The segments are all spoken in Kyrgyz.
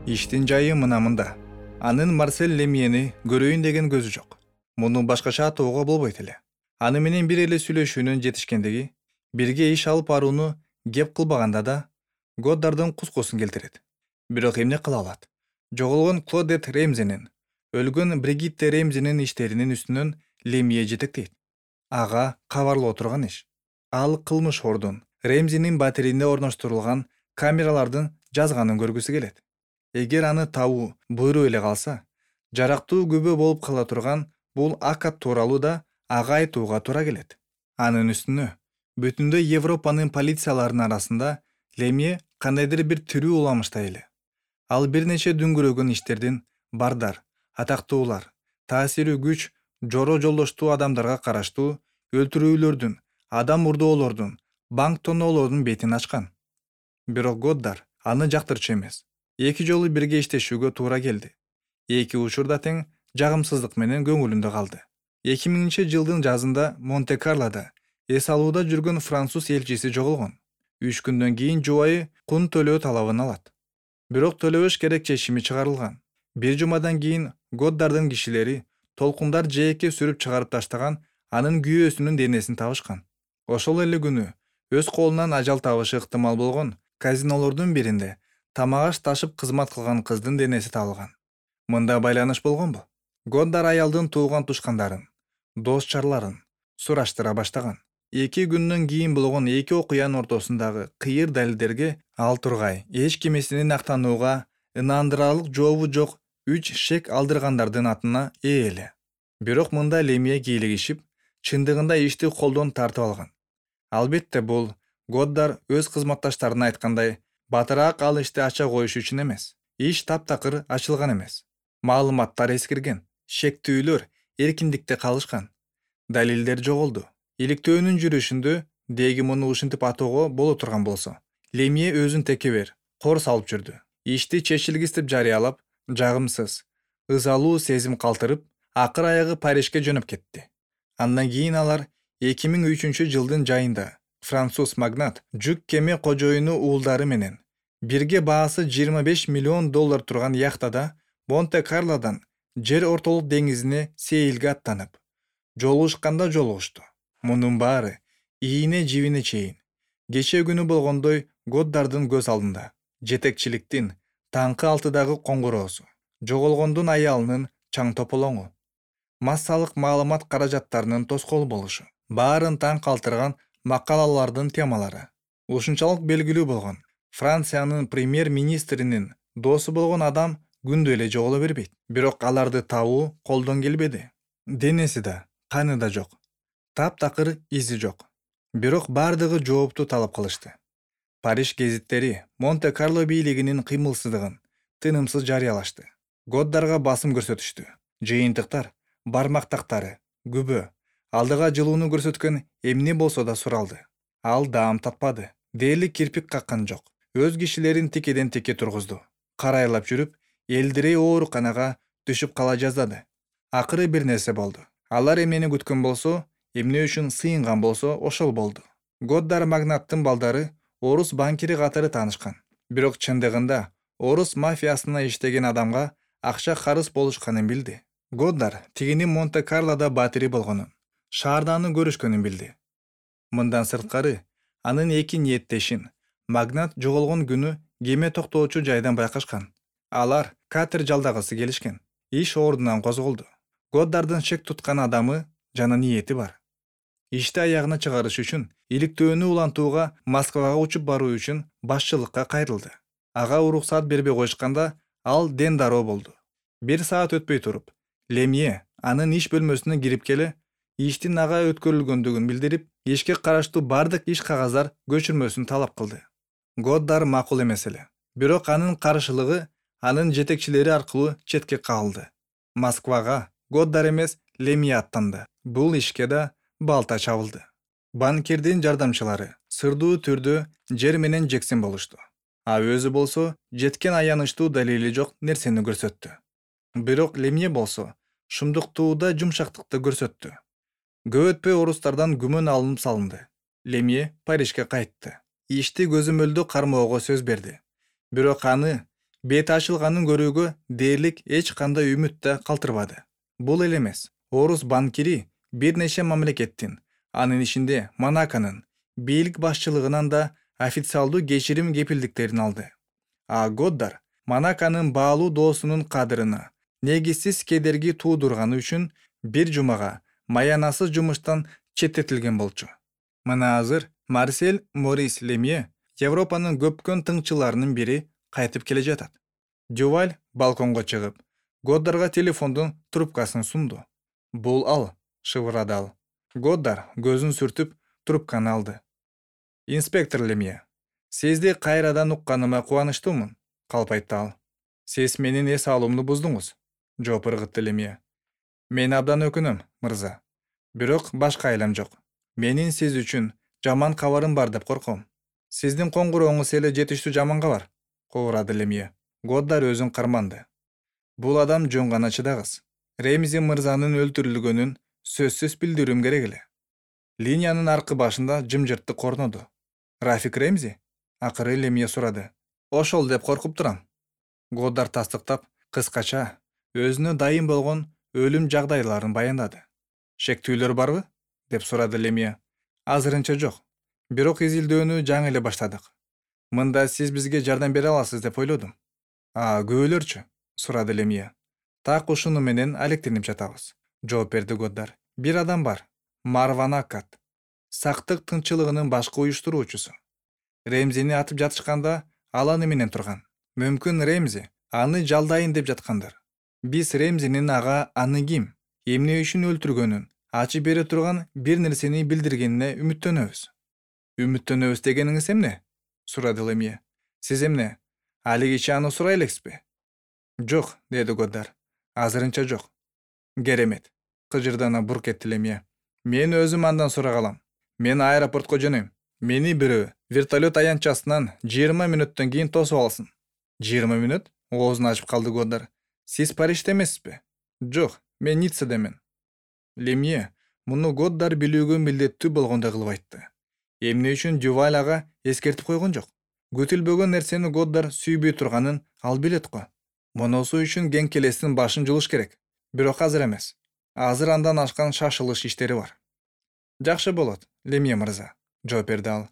Иштин жайы мында. Анын Марсель Лемьени көрөйүн деген көзү жок. Муну башкача атоого болбойт эле. Аны менен бир эле сүйлөшүүнүн жетишкендиги, бирге иш алып барууну кеп кылбаганда да Годдардын кускусун келтирет. Бирок эмне кыла алат? Жоголгон Клодет Ремзинин, өлгөн Бригитте Ремзинин иштеринин үстүнөн Лемье жетектейт. Ага кабарлоо турган иш. Ал кылмыш ордун Ремзинин батиринде орноштурулган камералардын жазганын көргүсү келет. Эгер аны табуу буйруп эле калса, жарактуу күбө болуп кала турган бул акат тууралуу да ага айтууга туура келет. Анын үстүнө бүтүндөй Европанын полицияларынын арасында Лемье кандайдыр бир тирүү уламыштай эле. Ал бир нече дүңгүрөгөн иштердин бардар, атактуулар, таасири күч, жоро жолдоштуу адамдарга караштуу өлтүрүүлөрдүн, адам урдоолордун, банк тоноолордун бетин ачкан. Бирок Годдар аны жактырчу эмес. Эки жолу бирге иштешүүгө туура келди. Эки учурда тең жагымсыздык менен көңүлүндө калды. 2000-жылдын жазында Монте-Карлода эс алууда жүргөн француз элчиси жоголгон. 3 күндөн кийин жубайы кун төлөө талабын алат. Бирок төлөбөш керек чечими чыгарылган. Бир жумадан кийин Годдардын кишилери толкундар жээкке сүрүп чыгарып таштаган анын күйөөсүнүн денесин табышкан. Ошол эле күнү өз колунан ажал табышы ыктымал болгон казинолордун биринде тамак аш ташып кызмат кылган кыздын денеси табылган. Мында байланыш болгонбу? Годдар аялдын тууган тушкандарын, дос-чарларын сураштыра баштаган. 2 күндөн кийин болгон эки окуянын ортосундагы кыйыр далилдерге ал тургай эч кимесинин актанууга ынандырарлык жообу жок 3 шек алдыргандардын атына ээ эле. Бирок мында Лемье кийлигишип, чындыгында ишти колдон тартып алган. Албетте бул Годдар өз кызматташтарына айткандай, батыраак ал ишти ача коюш үчүн эмес. Иш таптакыр ачылган эмес. Маалыматтар эскирген, шектүүлөр эркиндикте калышкан. Далилдер жоголду. Иликтөөнүн жүрүшүндө деги муну ушинтип атоого боло турган болсо, Лемье өзүн текебер, кор салып жүрдү. Ишти чечилгис деп жарыялап, жагымсыз, ызалуу сезим калтырып, акыр аягы Парижге жөнөп кетти. Андан кийин алар 2003-жылдын жайында француз магнат жүк кеме кожоюну уулдары менен бирге баасы $25 миллион турган яхтада Монте-Карлодан жер ортолук деңизине сейилге аттанып, жолугушканда жолугушту. Мунун баары ийине жибине чейин кечээ күнү болгондой Годдардын көз алдында. Жетекчиликтин таңкы 6-дагы коңгуроосу, жоголгондун аялынын чаң тополоңу, массалык маалымат каражаттарынын тоскоол болушу, баарын таң калтырган макалалардын темалары. Ушунчалык белгилүү болгон Франциянын премьер-министринин досу болгон адам күндө эле жоголо бербейт. Бирок аларды табуу колдон келбеди. Денеси да, каны да жок. Таптакыр изи жок. Бирок бардыгы жоопту талап кылышты. Париж гезиттери Монте-Карло бийлигинин кыймылсыздыгын тынымсыз жарыялашты. Годдарга басым көрсөтүштү. Жыйынтыктар, бармактактары, күбө, алдыга жылууну көрсөткөн эмне болсо да суралды. Ал даам таппады. Дээрлик кирпик каккан жок. Өз кишилерин тикеден тикке тургузду. Карайлап жүрүп, элдирей ооруканага түшүп кала жаздады. Акыры бир нерсе болду. Алар эмнени күткөн болсо, эмне үчүн сыйынган болсо, ошол болду. Годдар магнаттын балдары орус банкири катары таанышкан. Бирок чындыгында орус мафиясына иштеген адамга акча карыз болушканын билди. Годдар тигини Монте-Карлода батири болгонун, шаарда аны көрүшкөнүн билди. Мындан сырткары, анын эки ниеттешин магнат жоголгон күнү кеме токтоочу жайдан байкашкан. Алар катер жалдагысы келишкен. Иш ордунан козголду. Годдардын шек туткан адамы жана ниети бар. Ишти аягына чыгарыш үчүн иликтөөнү улантууга Москвага учуп баруу үчүн башчылыкка кайрылды. Ага уруксаат бербей коюшканда ал ден дароо болду. 1 саат өтпөй туруп, Лемье анын иш бөлмөсүнө кирип келе, иштин ага өткөрүлгөндүгүн билдирип, ишке караштуу бардык иш кагаздар көчүрмөсүн талап кылды. Годдар макул эмес эле. Бирок анын каршылыгы анын жетекчилери аркылуу четке кагылды. Москвага Годдар эмес Лемье аттанды. Бул ишке да балта чабылды. Банкирдин жардамчылары сырдуу түрдө жер менен жексин болушту. А өзү болсо жеткен аянычтуу далили жок нерсени көрсөттү. Бирок Лемье болсо шумдуктууда жумшактыкты көрсөттү. Көп өтпөй орустардан күмөн алынып салынды. Лемье Парижге кайтты. Ишти көзөмөлдүү кармоого сөз берди. Бирок аны Бет ачылганын көрүүгө дээрлик эч кандай үмүт да калтырбады. Бул эле эмес. Орус банкири бир нече мамлекеттин, анын ичинде Монаконун бийлик башчылыгынан да официалдуу кечирим кепилдиктерин алды. А Годдар Монаконун баалуу доосунун кадырына негизсиз кедерги туудурганы үчүн бир жумага маянасыз жумуштан четтетилген болчу. Мына азыр Марсель Морис Лемье Европанын көпкөн тыңчыларынын бири кайтып келе жатат. Дюваль балконго чыгып, Годдарга телефондун трубкасын сунду. Бул ал, шыбырады ал. Годдар көзүн сүртүп трубканы алды. Инспектор Лемье, сизди кайрадан укканыма кубанычтуумун, калп айтты ал. Сиз менин эс алуумду буздуңуз, жооп ыргытты Лемье. Мен абдан өкүнөм, мырза. Бирок башка айлам жок. Менин сиз үчүн жаман кабарым бар деп корком. Сиздин коңгурооңуз эле жетиштүү жаман кабар, кобурады Лемье. Годдар өзүн карманды. Бул адам жөн гана чыдагыс. Ремзи мырзанын өлтүрүлгөнүн сөзсүз билдирүүм керек эле. Линиянын аркы башында жымжырттык орноду. Рафик Ремзи? Акыры Лемье сурады. Ошол деп коркуп турам. Годдар тастыктап, кыскача өзүнө дайым болгон өлүм жагдайларын баяндады. Шектүүлөр барбы? Деп сурады Лемье. Азырынча жок. Бирок изилдөөнү жаңы эле баштадык. Мында сиз бизге жардам бере аласыз деп ойлодум. Күбөлөрчү? Сурады Лемье. Так ушуну менен алектенип жатабыз, жооп берди Годдар. Бир адам бар. Марван Аккат. Сактык тынччылыгынын башкы уюштуруучусу. Ремзини атып жатышканда ал аны менен турган. Мүмкүн Ремзи аны жалдайын деп жаткандар. Биз Ремзинин ага аны ким, эмне үчүн өлтүргөнүн ачып бере турган бир нерсени билдиргенине үмүттөнөбүз. Үмүттөнөбүз дегениңиз эмне? Сурады Лемье. Сиз эмне, алигиче аны сурай элексизби? Жок, деди Годдар. Азырынча жок. Керемет, кыжырдана бурк этти Лемье. Мен өзүм андан сурак алам. Мен аэропортко жөнөйм. Мени бирөө вертолет аянтчасынан 20 мүнөттөн кийин тосуп алсын. 20 мүнөт? Оозун ачып калды Годдар. Сиз Парижде эмессизби? Жок, мен Ниццадамын. Лемье муну Годдар билүүгө милдеттүү болгондой кылып айтты. Эмне үчүн Дюваль ага эскертип койгон жок? Күтүлбөгөн нерсени Годдар сүйбөй турганын ал билет го. Моносу үчүн кең келестин башын жулуш керек. Бирок азыр эмес. Азыр андан ашкан шашылыш иштери бар. Жакшы болот, Лемье мырза, жооп берди ал.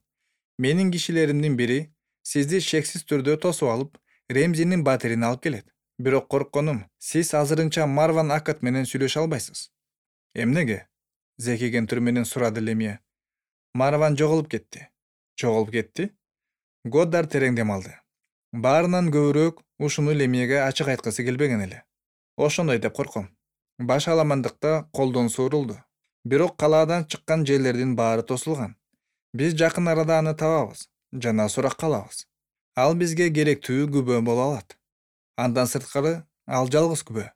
Менин кишилеримдин бири сизди шексиз түрдө тосуп алып, Ремзинин батирин алып келет. Бирок коркконум, сиз азырынча Марван Аккат менен сүйлөшө албайсыз. Эмнеге? Зекиген түр менен сурады Лемье. Марван жоголуп кетти. Жоголуп кетти? Годдар терең дем алды. Баарынан көбүрөөк ушуну Лемьеге ачык айткысы келбеген эле. Ошондой деп корком. Баш аламандыкта колдон суурулду. Бирок калаадан чыккан жерлердин баары тосулган. Биз жакын арада аны табабыз жана суракка алабыз. Ал бизге керектүү күбө боло алат. Андан сырткары ал жалгыз күбө.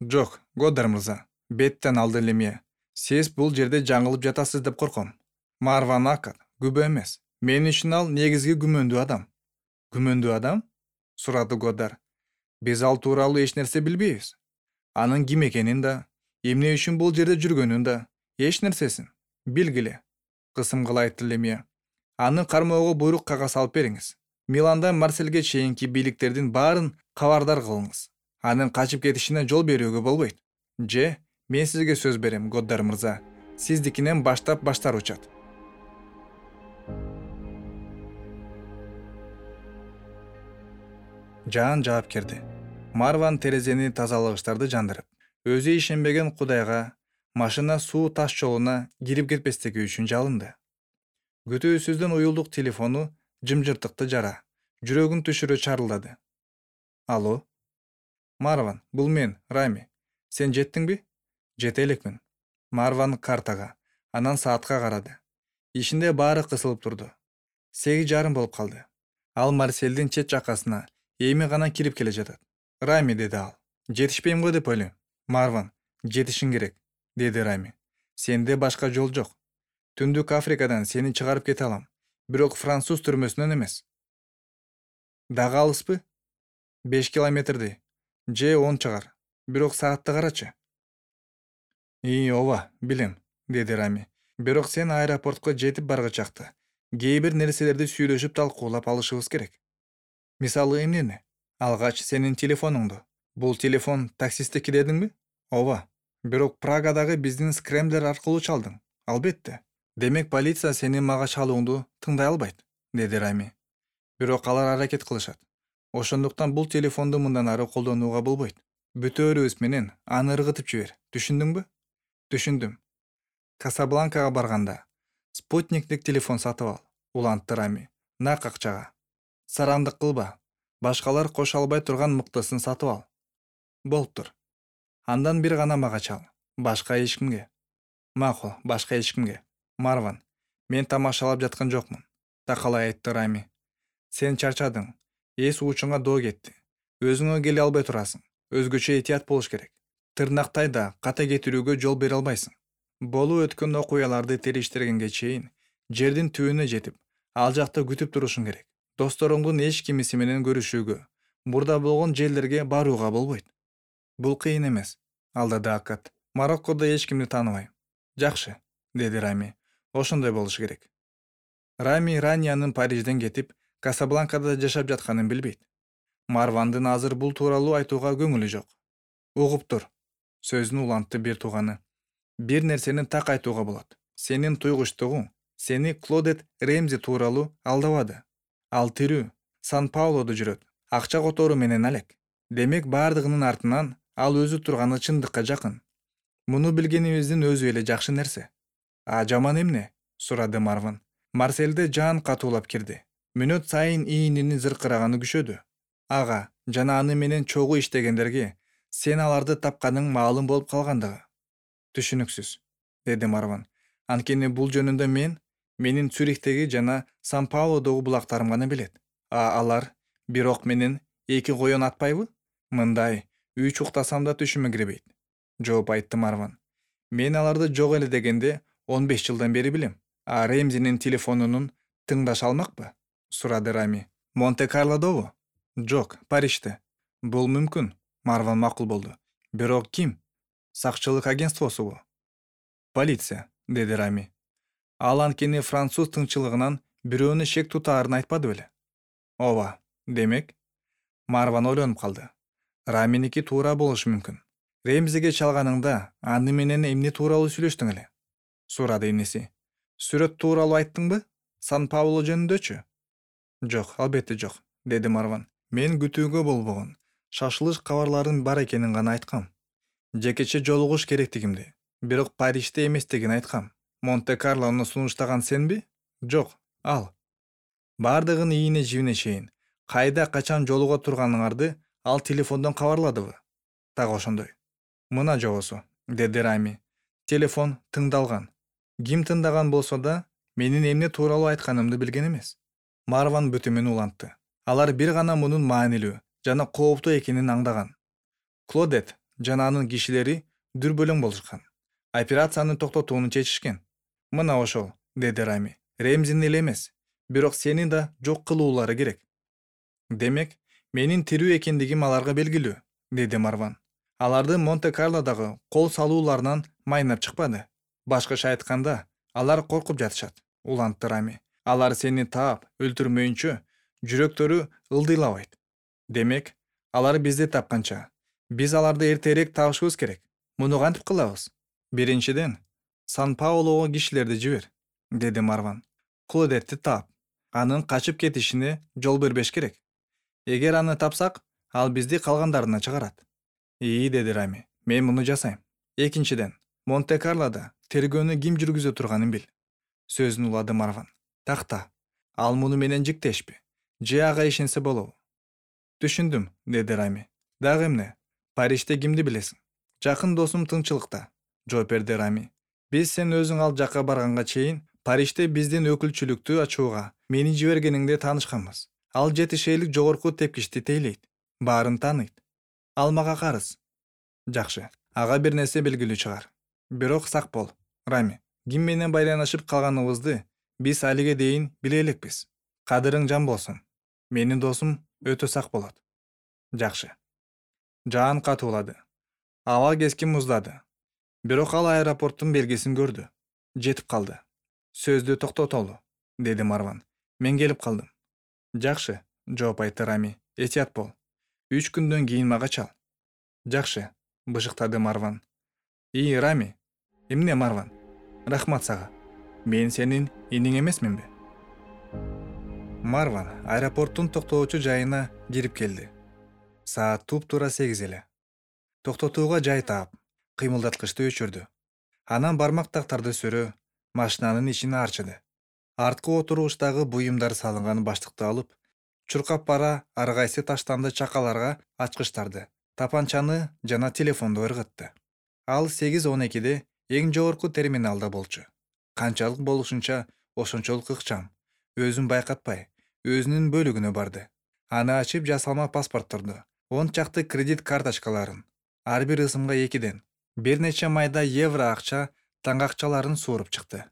Жок, Годдар мырза, беттен алды Лемье. Сиз бул жерде жаңылып жатасыз деп корком. Марван Аккат күбө эмес. Мен үчүн ал негизги күмөндүү адам. Күмөндүү адам? Сурады Годдар. Биз ал тууралуу эч нерсе билбейбиз. Анын ким экенин да, эмне үчүн бул жерде жүргөнүн да, эч нерсесин билгиле. Кысым кыла айтты Лемье. Аны кармоого буйрук кагаз алып бериңиз. Миландан Марсельге чейинки бийликтердин баарын кабардар кылыңыз. Анын качып кетишине жол берүүгө болбойт. Же, мен сизге сөз берем, Годдар мырза. Сиздикинен баштап баштар учат. Жаан жаап келди. Марван терезени тазалагычтарды жандырып, өзү ишенбеген Кудайга машина суу таш жолуна кирип кетпестиги үчүн жалынды. Күтүүсүздөн уюлдук телефону жымжыртыкты жара, жүрөгүн түшүрө чарылдады. Алло? Марван, бул мен, Рами. Сен жеттиңби? Жете элекмин. Марван картага, анан саатка карады. Ишинде баары кысылып турду. 8:30 болуп калды. Ал Марсельдин чет жакасына эми гана кирип келе жатат. Рами, деди ал. Жетишпейм го деп ойлойм. Марван, жетишиң керек, деди Рами. Сенде башка жол жок. Түндүк Африкадан сени чыгарып кете алам, бирок француз түрмөсүнөн эмес. Дагы алыспы? 5 километрдей. Же 10 чыгар. Бирок саатты карачы. Ооба, билем, деди Рами. Бирок сен аэропортко жетип баргычакты кээ бир нерселерди сүйлөшүп талкуулап алышыбыз керек. Мисалы эмнени? Алгач сенин телефонуңду. Бул телефон таксисттики дедиңби? Ооба. Бирок Прагадагы биздин скремблер аркылуу чалдың. Албетте. Демек полиция сенин мага чалууңду тыңдай албайт, деди Рами. Бирок алар аракет кылышат. Ошондуктан бул телефонду мындан ары колдонууга болбойт. Бүтөөрүбүз менен аны ыргытып жибер. Түшүндүңбү? Түшүндүм. Касабланкага барганда спутниктик телефон сатып ал, улантты Рами. Нак акчага. Сарандык кылба. Башкалар кошо албай турган мыктысын сатып ал. Болуптур. Андан бир гана мага чал. Башка эч кимге. Макул, башка эч кимге. Марван, мен тамашалап жаткан жокмун. Такалай айтты Рами. Сен чарчадың. Эс учуңа доо кетти. Өзүңө келе албай турасың. Өзгөчө этият болуш керек. Тырнактай да ката кетирүүгө жол бере албайсың. Болуп өткөн окуяларды териштиргенге чейин жердин түбүнө жетип, ал жакта күтүп турушуң керек. Досторуңдун эч кимиси менен көрүшүүгө, мурда болгон жерлерге барууга болбойт. Бул кыйын эмес, алдады Акат. Мароккодо эч кимди тааныбайм. Жакшы, деди Рами. Ошондой болуш керек. Рами Ранянын Парижден кетип, Касабланкада жашап жатканын билбейт. Марвандын азыр бул тууралуу айтууга көңүлү жок. Угуптур, сөзүн улантты бир тууганы. Бир нерсени так айтууга болот. Сенин туйгучтугуң сени Клодет Ремзи тууралуу алдабады. Ал тирүү, Сан-Паулодо жүрөт. Акча которуу менен алек. Демек бардыгынын артынан ал өзү турганы чындыкка жакын. Муну билгенибиздин өзү эле жакшы нерсе. А жаман эмне? Сурады Марван. Марселде жан катуулап кирди. Мүнөт сайын ийинини зыркыраганы күчөдү. Ага жана аны менен чогуу иштегендерге сен аларды тапканың маалым болуп калгандыгы. Түшүнүксүз, деди Марван. Анткени бул жөнүндө менин Цюрихтеги жана Сан-Паулодогу булактарым гана билет. А алар бирок менен эки коен атпайбы? Мындай, 3 уктасам да түшүмө кирбейт. Жооп айтты Марван. Мен аларды жок эле дегенде 15 жылдан бери билем. А Ремзинин телефонунун тыңдаша алмакпы? Сурады Рами. Монте-Карлодобу? Жок, Парижде. Бул мүмкүн. Марван макул болду. Бирок ким? Сакчылык агентствосубу? Полиция, деди Рами. Ал анткени француз тыңчылыгынан бирөөнү шек тутаарын айтпады беле? Ооба, демек. Марван ойлонуп калды. Раминики туура болушу мүмкүн. Ремзиге чалганыңда аны менен эмне тууралуу сүйлөштүң эле? Сурады иниси. Сүрөт тууралуу айттыңбы? Сан-Пауло жөнүндөчү? Жок, албетте жок, деди Марван. Мен күтүүгө болбогон шашылыш кабарларын бар экенин гана айткам. Жекече жолугуш керектигимди, бирок Парижде эместигин айткам. Монте-Карлону сунуштаган сенби? Жок, ал. Бардыгын ийине жибине чейин кайда качан жолуга турганыңарды ал телефондон кабарладыбы? Так ошондой. Мына жобосу, деди Рами. Телефон тыңдалган. Ким тыңдаган болсо да, менин эмне тууралуу айтканымды билген эмес. Марван бүтүмүн улантты. Алар бир гана мунун маанилүү жана кооптуу экенин аңдаган. Клодет жана анын кишилери дүрбөлөң болушкан. Операцияны токтотууну чечишкен. Мына ошол, деди Рами. Ремзин эле эмес, бирок сени да жок кылуулары керек. Демек, менин тирүү экендигим аларга белгилүү, деди Марван. Аларды Монте-Карлодагы кол салууларынан майнап чыкпады. Башкача айтканда, алар коркуп жатышат, улантты Рами. Алар сени таап, өлтүрмөйүнчө жүрөктөрү ылдыйлабайт. Демек, алар бизди тапканча, биз аларды эртерээк табышыбыз керек. Муну кантип кылабыз? Биринчиден, Сан-Паулого кишилерди жибер, деди Марван. Клодетти таап, анын качып кетишине жол бербеш керек. Эгер аны тапсак, ал бизди калгандарына чыгарат. Деди Рами. Мен муну жасайм. Экинчиден, Монте-Карлодо тергөөнү ким жүргүзө турганын бил. Сөзүн улады Марван. Такта. Ал муну менен жиктешпи. Же ага ишенсе болобу? Түшүндүм, деди Рами. Дагы эмне? Парижде кимди билесиң? Жакын досум тынчылыкта, жооп берди Рами. Биз сен өзүң ал жакка барганга чейин Парижде биздин өкүлчүлүктү ачууга мени жибергениңде таанышканбыз. Ал жетишейлик жогорку тепкичти тейлейт. Баарын тааныйт. Ал мага карыз. Жакшы. Ага бир нерсе белгилүү чыгар. Бирок сак бол, Рами. Ким менен байланышып калганыбызды биз алиге дейин биле элекпиз. Кадырың жан болсун. Менин досум өтө сак болот. Жакшы. Жаан катуулады. Аба кескин муздады. Бирок ал аэропорттун белгисин көрдү. Жетип калды. Сөздү токтотолу, деди Марван. Мен келип калдым. Жакшы, жооп айтты Рами. Этият бол. 3 күндөн кийин мага чал. Жакшы, бышыктады Марван. Рами. Эмне Марван? Рахмат сага. Мен сенин иниң эмесминби? Марван аэропорттун токтоочу жайына кирип келди. Саат туп-туура 8 эле. Токтотууга жай таап, кыймылдаткычты өчүрдү. Анан бармак тактарды сөрөө, машинанын ичин арчыды. Арткы отургучтагы буюмдар салынган баштыкты алып, чуркап бара ар кайсы таштанды чакаларга ачкычтарды, тапанчаны жана телефонду ыргытты. Ал 8:12 эң жогорку терминалда болчу. Канчалык болушунча ошончолук ыкчам. Өзүн байкатпай, өзүнүн бөлүгүнө барды. Аны ачып жасалма паспортторду, 10 чакты кредит карточкаларын, ар бир ысымга 2ден, бир нече майда евро акча таңакчаларын сууруп чыкты.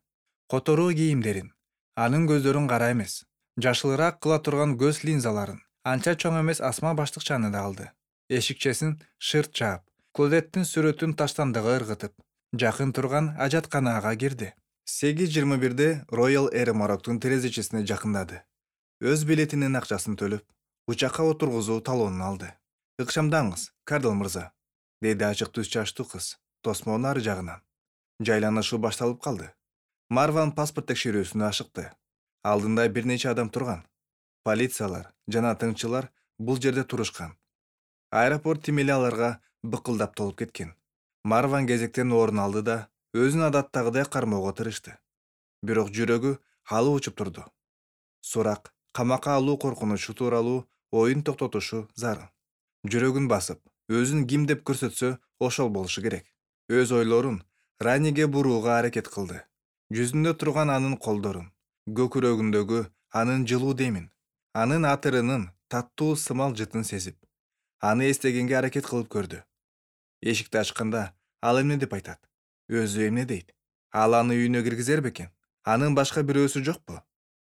Которуу кийимдерин, анын көздөрүн кара эмес, жашылыраак кыла турган көз линзаларын, анча чоң эмес асма баштыкчаны да алды. Эшикчесин шырт жаап, Клодеттин сүрөтүн таштандыга ыргытып, жакын турган ажатканага кирди. 8:21 Royal Air Maroктун терезечесине жакындады. Өз билетинин акчасын төлөп, учакка отургузуу талонун алды. Ыкчамдаңыз, Кардал мырза, деди ачык түз чачтуу кыз, тосмонун ары жагынан. Жайланышуу башталып калды. Марван паспорт текшерүүсүнө ашыкты. Алдында бир нече адам турган. Полициялар жана тыңчылар бул жерде турушкан. Аэропорт тимели аларга быкылдап толуп кеткен. Марван кезектен орун алды да өзүн адаттагыдай кармоого тырышты. Бирок жүрөгү алы учуп турду. Сурак, камакка алуу коркунучу тууралуу оюн токтотушу зарыл. Жүрөгүн басып, өзүн ким деп көрсөтсө, ошол болушу керек. Өз ойлорун Раниге бурууга аракет кылды. Жүзүндө турган анын колдорун, көкүрөгүндөгү анын жылуу демин, анын атырынын таттуу сымал жытын сезип, аны эстегенге аракет кылып көрдү. Эшикти ачканда ал эмне деп айтат? Өзү эмне дейт? Ал аны үйүнө киргизер бекен? Анын башка бирөөсү жокпу?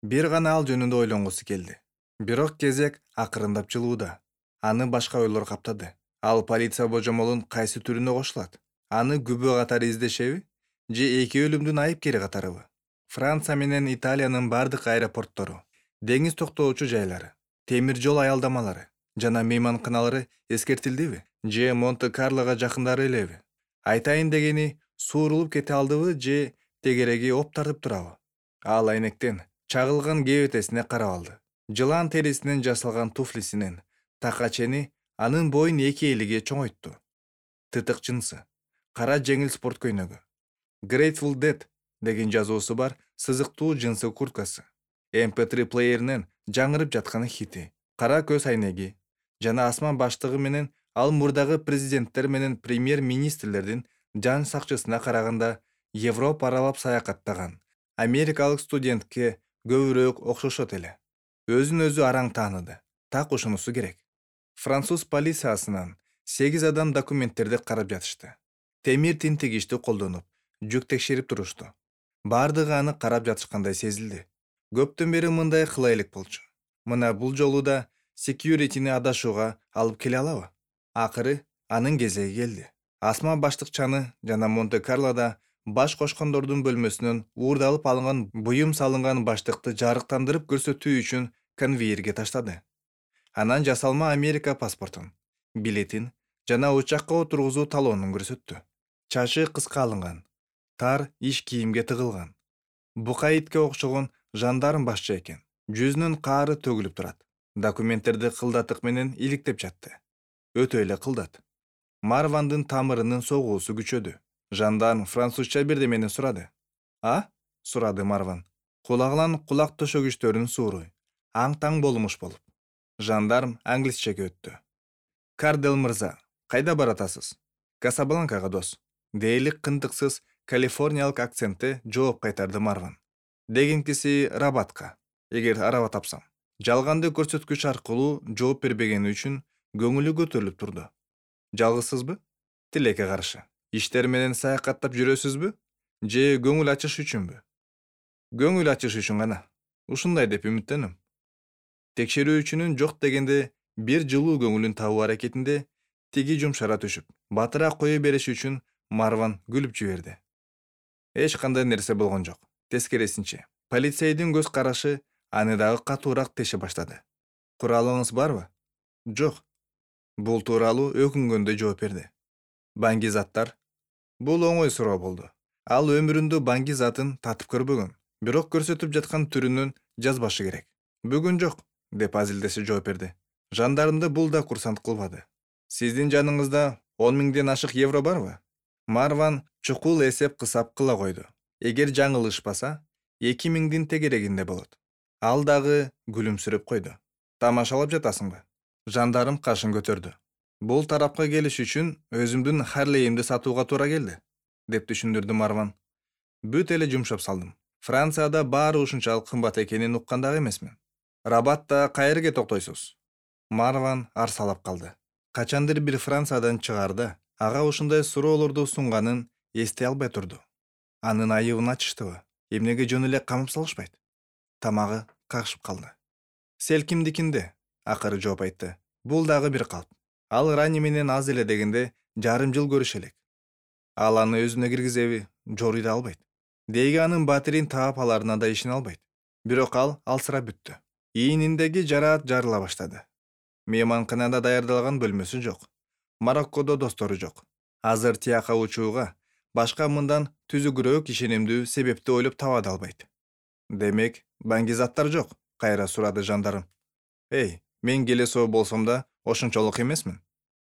Бир гана ал жөнүндө ойлонгусу келди. Бирок кезек акырындап жылууда. Аны башка ойлор каптады. Ал полиция божомолун кайсы түрүнө кошулат? Аны күбө катары издешеби? Же эки өлүмдүн айыпкери катарыбы? Франция менен Италиянын бардык аэропорттору, деңиз токтоочу жайлары, темир жол аялдамалары жана мейманканалары эскертилдиби? Же Монте-Карлого жакындары элеби? Айтайын дегени, суурулуп кете алдыбы же тегереги оп тартып турабы? Ал айнектен чагылган кебетесине карап алды. Жылан терисинен жасалган туфлисинен така чени анын боюн 2 элиге чоңойтту. Тытык жынсы, кара жеңил спорт көйнөгү, Grateful Dead деген жазуусу бар сызыктуу жынсы курткасы, MP3 плееринен жаңырып жаткан хити, кара көз айнеги жана асман баштыгы менен ал мурдагы президенттер менен премьер-министрлердин жан сакчысына караганда Европа аралап саякаттаган америкалык студентке көбүрөөк окшошот эле. Өзүн өзү араң тааныды. Так ушунусу керек. Француз полициясынан 8 адам документтерди карап жатышты. Темир тинтигичти колдонуп, жүк текшерип турушту. Бардыгы аны карап жатышкандай сезилди. Көптөн бери мындай кыла элек болчу. Мына бул жолу да security'ни адашууга алып келе алабы? Акыры анын кезеги келди. Асма баштыкчаны жана Монте-Карлода баш кошкондордун бөлмөсүнөн уурдалып алынган буюм салынган баштыкты жарыктандырып көрсөтүү үчүн конвейерге таштады. Анан жасалма Америка паспортун, билетин жана учакка отургузуу талонун көрсөттү. Чачы кыска алынган, тар иш кийимге тыгылган. Бука итке окшогон жандарм башчы экен. Жүзүнүн каары төгүлүп турат. Документтерди кылдатык менен иликтеп жатты. Өтө эле кылдат. Марвандын тамырынын согуусу күчөдү. Жандарм французча бирдемени сурады. А? Сурады Марван. Кулагынан кулак төшөгүчтөрүн сууруй. Аң-таң болмуш болуп. Жандарм англисчеге өттү. Кардел мырза, кайда баратасыз? Касабланкага дос. Дейлик кындыксыз калифорниялык акцентте жооп кайтарды Марван. Дегенкиси Рабатка. Эгер араба тапсам. Жалганды көрсөткүч аркылуу жооп бербегени үчүн көңүлү көтөрүлүп турду. Жалгызсызбы? Тилекке каршы. Иштер менен саякаттап жүрөсүзбү? Же көңүл ачыш үчүнбү? Көңүл ачыш үчүн гана. Ушундай деп үмүттөнөм. Текшерүүчүнүн жок дегенде бир жылуу көңүлүн табуу аракетинде тиги жумшара түшүп, батыраак кое бериш үчүн Марван күлүп жиберди. Эч кандай нерсе болгон жок. Тескерисинче, полицейдин көз карашы аны дагы катуураак теше баштады. Куралыңыз барбы? Жок. Бул тууралуу өкүнгөндө жооп берди. Баңгизаттар? Бул оңой суроо болду. Ал өмүрүндө баңгизатын татып көрбөгөн, бирок көрсөтүп жаткан түрүнөн жазбашы керек. Бүгүн жок, деп азилдесе жооп берди. Жандарымды бул да курсант кылбады. Сиздин жаныңызда 10.000 ашык евро барбы? Марван чукул эсеп кысап кыла койду. Эгер жаңылышпаса, 2.000 тегерегинде болот. Ал дагы күлүмсүрөп койду. Тамашалап жатасыңбы? Жандарым кашын көтөрдү. Бул тарапка келиш үчүн өзүмдүн Харлейимди сатууга туура келди, деп түшүндүрдү Марван. Бүт эле жумшап салдым. Францияда баары ушунчалык кымбат экенин уккан дагы эмесмин. Рабатта кайерге токтойсуз? Марван арсалап калды. Качандыр бир Франциядан чыгарда ага ушундай суроолорду сунганын эстей албай турду. Анын айыбын ачыштыбы? Эмнеге жөн эле камап салышпайт? Тамагы какшып калды. Селкимдикинде, акыры жооп айтты. Бул дагы бир калп. Ал Рани менен аз эле дегенде жарым жыл көрүшө элек. Ал аны өзүнө киргизеби, жоруй да албайт. Деги анын батирин таап аларына да ишене албайт. Бирок ал алсырап бүттү. Ийниндеги жараат жарыла баштады. Мейманканада даярдалган бөлмөсү жок. Мароккодо достору жок. Азыр тияка учууга башка мындан түзүгүрөөк ишенимдүү себепти ойлоп таба да албайт. Демек, баңгизаттар жок, кайра сурады жандарым. Эй, мен келесоо болсом да ошончолук эмесмин.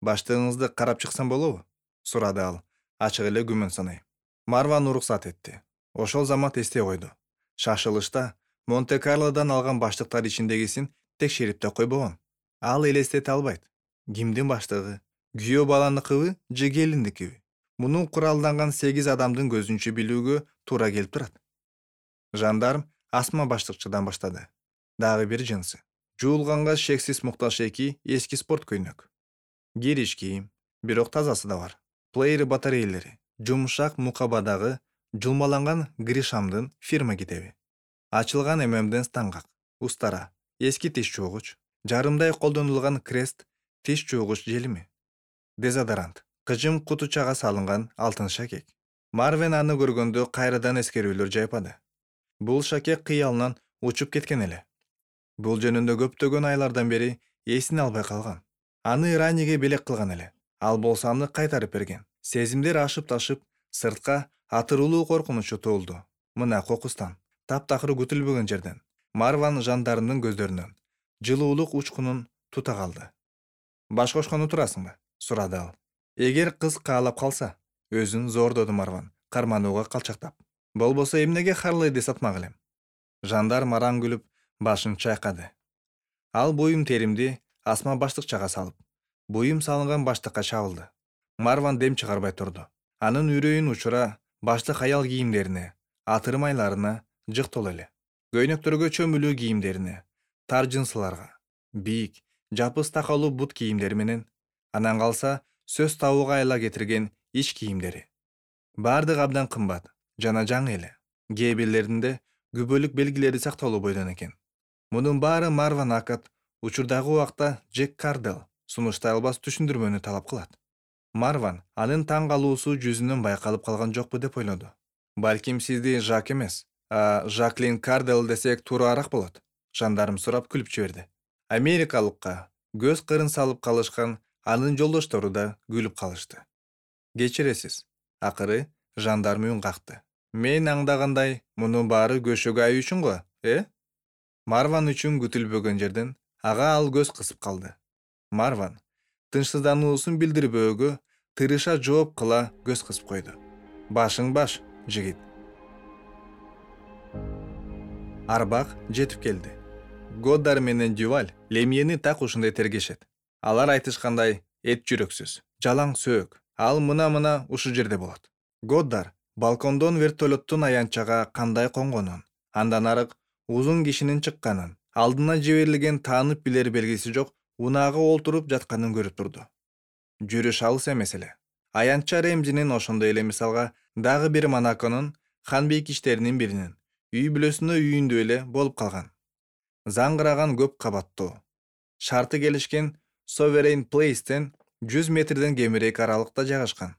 Баштыгыңызды карап чыксам болобу? Сурады ал, ачык эле күмөн санай. Марван уруксат этти. Ошол замат эстей койду. Шашылышта Монте-Карлодан алган баштыктар ичиндегисин текшерип да койбогон. Ал элестете албайт. Кимдин баштыгы? Күйөө баланыкыбы же келиндикиби? Муну куралданган 8 адамдын көзүнчө билүүгө туура келип турат. Жандарм асма баштыкчыдан баштады. Дагы бир жынсы. Жуулганга шексиз муктаж эки эски спорт көйнөк. Кириш кийим, бирок тазасы да бар. Плеер батарейлери, жумшак мукабадагы жулмаланган Гришамдын фирма китеби. Ачылган ММден стангак, устара, эски тиш чуугуч, жарымдай колдонулган крест тиш чуугуч желими. Дезодорант, кыжым кутучага салынган алтын шакек. Марвен аны көргөндө кайрадан эскерүүлөр жайпады. Бул шакек кыялынан учуп кеткен эле. Бул жөнүндө көптөгөн айлардан бери эсин албай калган. Аны Раниге белек кылган эле. Ал болсо аны кайтарып берген. Сезимдер ашып-ташып, сыртка атырылуу коркунучу туулду. Мына кокустан, таптакыр күтүлбөгөн жерден. Марван жандарымдын көздөрүнөн жылуулук учкунун тута калды. Баш кошкону турасыңбы? Сурады ал. Эгер кыз каалап калса, өзүн зордоду Марван, карманууга калчактап. Болбосо эмнеге Харлейди сатмак элем? Жандарм араң күлүп, башын чайкады. Ал буюм теримди асма баштыкчага салып, буюм салынган баштыкка чабылды. Марван дем чыгарбай турду. Анын үрөйүн учура баштык аял кийимдерине, атырмайларына жыктол эле. Көйнөктөргө чөмүлүү кийимдерине, тар жынсыларга, бийик, жапыс такалуу бут кийимдери менен, анан калса сөз табууга айла кетирген ич кийимдери. Бардык абдан кымбат жана жаңы эле. Кээ бирлеринде күбөлүк белгилери сакталуу бойдон экен. Мунун баары Марван Акат учурдагы убакта Джек Кардел сунуштай албас түшүндүрмөнү талап кылат. Марван анын таң калуусу жүзүнөн байкалып калган жокпу деп ойлоду. Балким сизди Жак эмес, Жаклин Кардел десек туурараак болот. Жандарым сурап күлүп жиберди. Америкалыкка көз кырын салып калышкан анын жолдоштору да күлүп калышты. Кечиресиз, акыры жандарм үн какты. Мен аңдагандай, мунун баары көшөгө ай үчүн го, Марван үчүн күтүлбөгөн жерден ага ал көз кысып калды. Марван тынчсыздануусун билдирбөөгө тырыша жооп кыла көз кысып койду. Башың баш, жигит. Арбак жетип келди. Годдар менен Дюваль Лемьени так ушундай тергешет. Алар айтышкандай, эт жүрөксүз, жалаң сөөк. Ал мына ушу жерде болот. Годдар балкондон вертолеттун аянтчага кандай конгонун, андан арык узун кишинин чыкканын, алдына жиберилген таанып билер белгиси жок унаага олтуруп жатканын көрүп турду. Жүрүш алыс эмес эле. Аянтча Ремзинин ошондой эле мисалга дагы бир Монаконун ханбейкичтеринин биринин үй бүлөсүнө үйүндө эле болуп калган. Заңгыраган көп кабаттуу, шарты келишкен Sovereign Place'тен 100 метрден кемирээк аралыкта жайгашкан.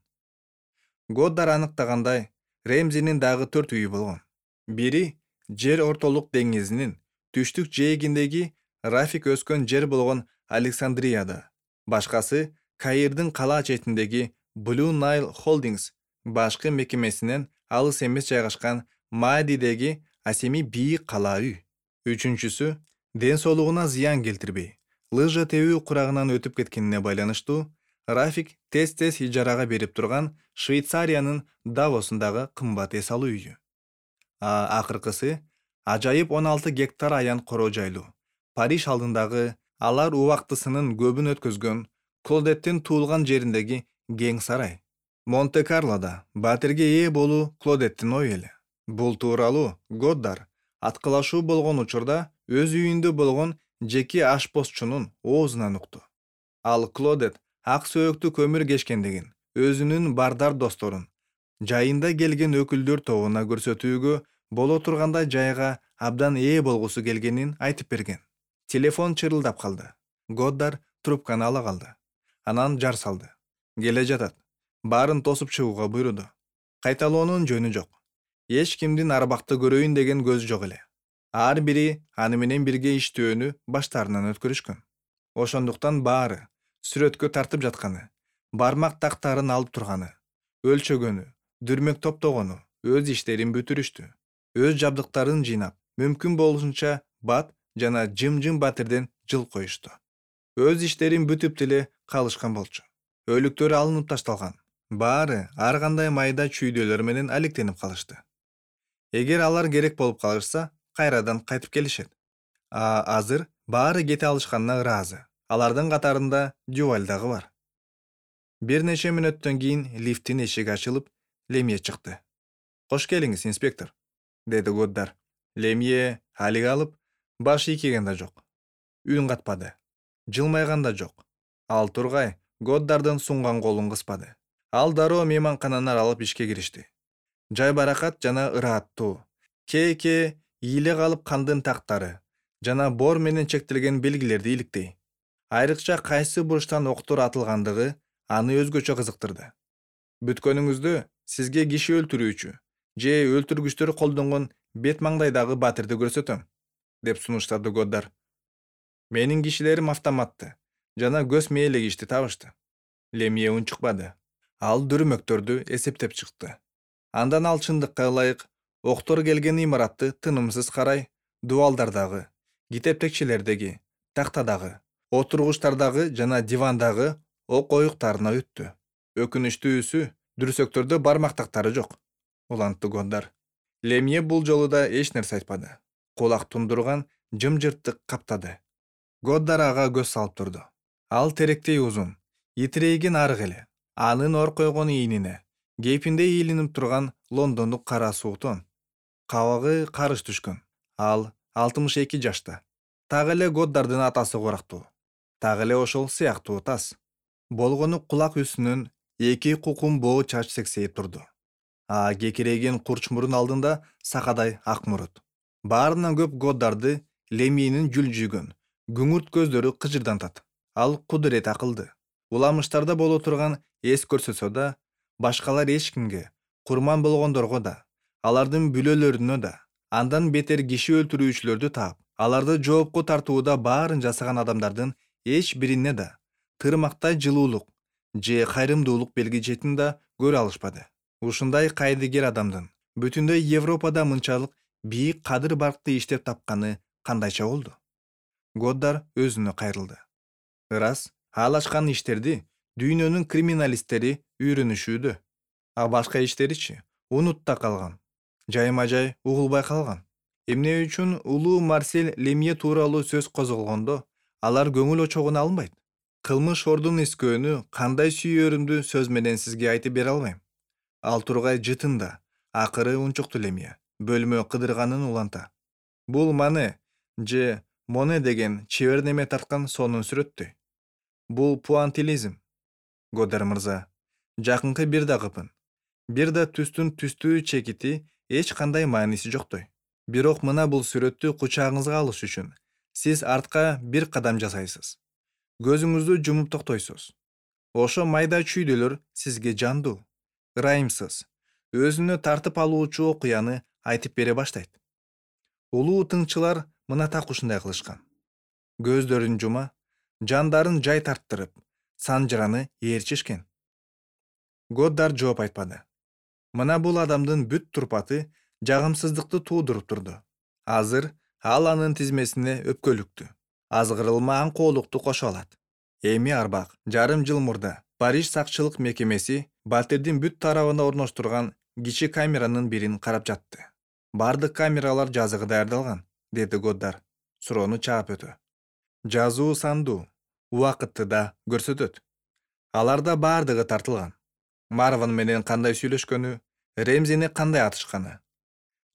Годдар аныктагандай, Ремзинин дагы 4 үйү болгон. Бири жер ортолук деңизинин түштүк жээгиндеги Рафик өскөн жер болгон Александрияда. Башкасы Каирдин кала четиндеги Blue Nile Holdings башкы мекемесинен алыс эмес жайгашкан Маадидеги асеми бийик кала үй. Үчүнчүсү ден соолугуна зыян келтирбей, лыжа тебүү курагынан өтүп кеткенине байланыштуу Рафик тез ижарага берип турган Швейцариянын Давосундагы кымбат эс алуу үйү. Акыркысы ажайып 16 гектар аян короо жайлуу Париж алдындагы алар убактысынын көбүн өткөзгөн Клодеттин туулган жериндеги кең сарай. Монте-Карлода батирге ээ болуу Клодеттин ою эле. Бул тууралуу Годдар аткылашуу болгон учурда өз үйүндө болгон жеке ашпозчунун оозунан укту. Ал Клодет ак сөөктү көмүр кешкендигин өзүнүн бардар досторун жайында келген өкүлдөр тобуна көрсөтүүгө боло тургандай жайга абдан ээ болгусу келгенин айтып берген. Телефон чырылдап калды. Годдар трубканы ала калды. Анан жар салды. Келе жатат. Баарын тосуп чыгууга буйруду. Кайталоонун жөнү жок. Эч кимдин арбакты көрөйүн деген көзү жок эле. Ар бири аны менен бирге иштөөнү баштарынан өткөрүшкөн. Ошондуктан баары сүрөткө тартып жатканы, бармак тактарын алып турганы, өлчөгөнү, дүрмөк топтогону, өз иштерин бүтүрүштү. Өз жабдыктарын жыйнап, мүмкүн болушунча бат жана жым батирден жыл коюшту. Өз иштерин бүтүп деле калышкан болчу. Өлүктөр алынып ташталган. Баары ар кандай майда чүйдөлөр менен алектенип калышты. Эгер алар керек болуп калышса, кайрадан кайтып келишет. Азыр баары кете алышканына ыраазы. Алардын катарында Дюваль дагы бар. Бир нече мүнөттөн кийин лифттин эшиги ачылып, Лемье чыкты. Кош келиңиз, инспектор, деди Годдар. Лемье алик алып, баш ийкеген да жок. Үн катпады. Жылмайган да жок. Ал тургай Годдардын сунган колун кыспады. Ал дароо мейманкананы аралап ишке киришти. Жай баракат жана ырааттуу. Кээ ийиле калып кандын тактары жана бор менен чектелген белгилерди иликтей. Айрыкча кайсы бурчтан октор атылгандыгы аны өзгөчө кызыктырды. Бүткөнүңүздө сизге киши өлтүрүүчү же өлтүргүчтөр колдонгон бет маңдайдагы батирди көрсөтөм, деп сунуштады Годдар. Менин кишилерим автоматты жана көз мээлегичти табышты. Лемье унчукпады. Ал дүрмөктөрдү эсептеп чыкты. Андан ал чындыкка ылайык октор келген имаратты тынымсыз карай, дубалдардагы, китептекчелердеги, тактадагы, отургучтардагы жана дивандагы ок оюктарына өттү. Өкүнүчтүүсү, дүрсөктөрдө бармак тактары жок, улантты Годдар. Лемье бул жолу да эч нерсе айтпады. Кулак тундурган жымжырттык каптады. Годдар ага көз салып турду. Ал теректей узун, итирейген арык эле. Анын ор койгон ийнине кейпинде ийилинип турган лондондук кара суутон. Кабагы карыш түшкөн. Ал 62 жашта. Так эле Годдардын атасы корактуу. Так эле ошол сыяктуу тас. Болгону кулак үстүнөн эки кукум боо чач сексейип турду. Кекирейген курч мурун алдында сакадай ак мурут. Баарынан көп Годдарды Лемьенин жүлжүгөн, күңүрт көздөрү кыжырдантат. Ал кудурет акылды. Уламыштарда боло турган эс көрсөтсө да, башкалар эч кимге, курман болгондорго да, алардын бүлөлөрүнө да, андан бетер киши өлтүрүүчүлөрдү таап, аларды жоопко тартууда баарын жасаган адамдардын эч бирине да тырмактай жылуулук же кайрымдуулук белгичетин да көрө алышпады. Ушундай кайдыгер адамдын бүтүндөй Европада мынчалык бийик кадыр баркты иштеп тапканы кандайча болду? Годдар өзүнө кайрылды. Ырас, ал ачкан иштерди дүйнөнүн криминалисттери үйрөнүшүүдө. Башка иштеричи унутта калган. Жайма-жай угулбай калган. Эмне үчүн улуу Марсель Лемье тууралуу сөз козголгондо алар көңүл очогуна алынбайт? Кылмыш ордун искөөнү кандай сүйөөрүмдү сөз менен сизге айтып бере албайм. Ал тургай жытында, акыры унчукту Лемье бөлмө кыдырганын уланта. Бул Мане же Моне деген чебер неме тарткан сонун сүрөттөй. Бул пуантилизм. Годдар мырза, жакынкы бир да кыпын. Бир да түстүн түстүү чекити эч кандай мааниси жоктой. Бирок мына бул сүрөттү кучагыңызга алыш үчүн сиз артка бир кадам жасайсыз. Көзүңүздү жумуп токтойсуз. Ошо майда чүйдөлөр сизге жандуу, ырайымсыз, өзүнө тартып алуучу окуяны айтып бере баштайт. Улуу тыңчылар мына так ушундай кылышкан. Көздөрүн жума, жандарын жай тарттырып, санжыраны ээрчишкен. Годдар жооп айтпады. Мына бул адамдын бүт турпаты жагымсыздыкты туудуруп турду. Азыр ал анын тизмесине өпкөлүктү, азгырылма аңкоолукту кошуп алат. Эми арбак жарым жыл мурда Париж сакчылык мекемеси батирдин бүт тарабында орноштурган кичи камеранын бирин карап жатты. Бардык камералар жазыгы даярдалган, деди Годдар суроону чаап өтө. Жазуу сандуу, убакытты да көрсөтөт. Аларда бардыгы тартылган. Марван менен кандай сүйлөшкөнү, Ремзини кандай атышканы,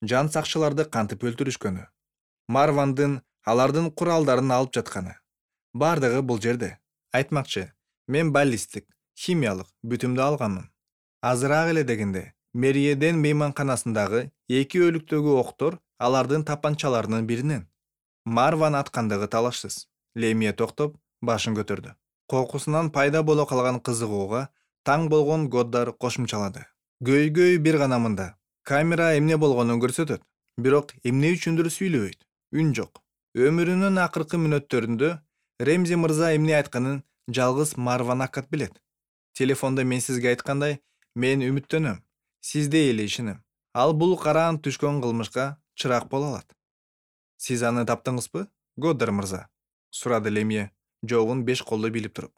жан сакчыларды кантип өлтүрүшкөнү, Марвандын алардын куралдарын алып жатканы. Бардыгы бул жерде. Айтмакчы, мен баллистик, химиялык бүтүмдү алганмын. Азыраак эле дегенде, Мериеден мейманканасындагы 2 өлүктөгү октор алардын тапанчаларынын биринен. Марван аткандыгы талашсыз. Лемье токтоп, башын көтөрдү. Кокусунан пайда боло калган кызыгууга таң болгон Годдар кошумчалады. Көйгөй бир гана мында. Камера эмне болгонун көрсөтөт, бирок эмне үчүндүр сүйлөбөйт. Үн жок. Өмүрүнүн акыркы мүнөттөрүндө Ремзи мырза эмне айтканын жалгыз Марван акат билет. Телефондо мен сизге айткандай, мен үмүттөнөм, сизде эле ишенем. Ал бул караан түшкөн кылмышка чырак боло алат. Сиз аны таптыңызбы, Годдар мырза? Сурады Лемье, жообун 5 колдо билип туруп.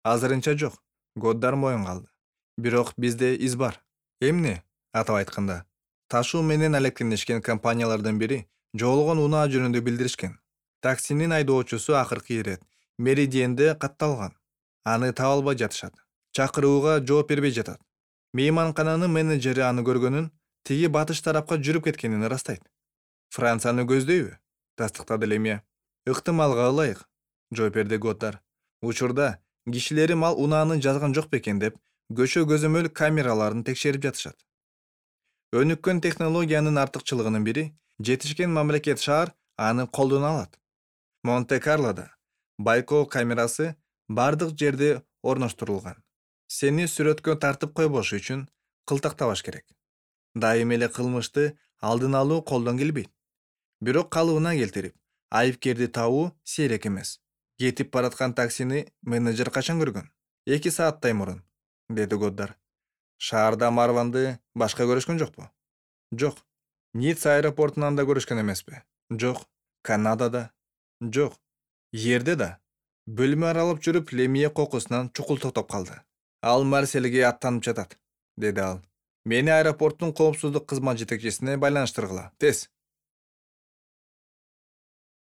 Азырынча жок. Годдар моюн калды. Бирок бизде из бар. Эмне? Атап айтканда, ташуу менен алектенишкен компаниялардын бири жоголгон унаа жөнүндө билдиришкен. Таксинин айдоочусу акыркы ирет Меридиенде катталган. Аны таба албай жатышат. Чакырууга жооп бербей жатат. Мейманкананын менеджери аны көргөнүн, тиги батыш тарапка жүрүп кеткенин ырастайт. Францияны көздөйбү? Тастыктады Лемье. Ыктымалга ылайык, жооп берди Годдар. Учурда кишилерим ал унааны жазган жок бекен деп көчө көзөмөл камераларын текшерип жатышат. Өнүккөн технологиянын артыкчылыгынын бири жетишкен мамлекет шаар аны колдоно алат. Монте-Карлода байкоо камерасы бардык жерде орноштурулган. Сени сүрөткө тартып койбош үчүн кылтактабаш керек. Дайым эле кылмышты алдын алуу колдон келбейт. Бирок калыбына келтирип, айыпкерди табуу сейрек эмес. Кетип бараткан таксини менеджер качан көргөн? 2 сааттай мурун, деди Годдар. Шаарда Марванды башка көрүшкөн жокпу? Жок. Ницца аэропортунан да көрүшкөн эмеспи? Жок. Канадада? Жок. Жерде да? Бөлмө аралап жүрүп Лемье кокусунан чукул токтоп калды. Ал Марсельге аттанып жатат, деди ал. Мени аэропорттун коопсуздук кызмат жетекчисине байланыштыргыла, тез.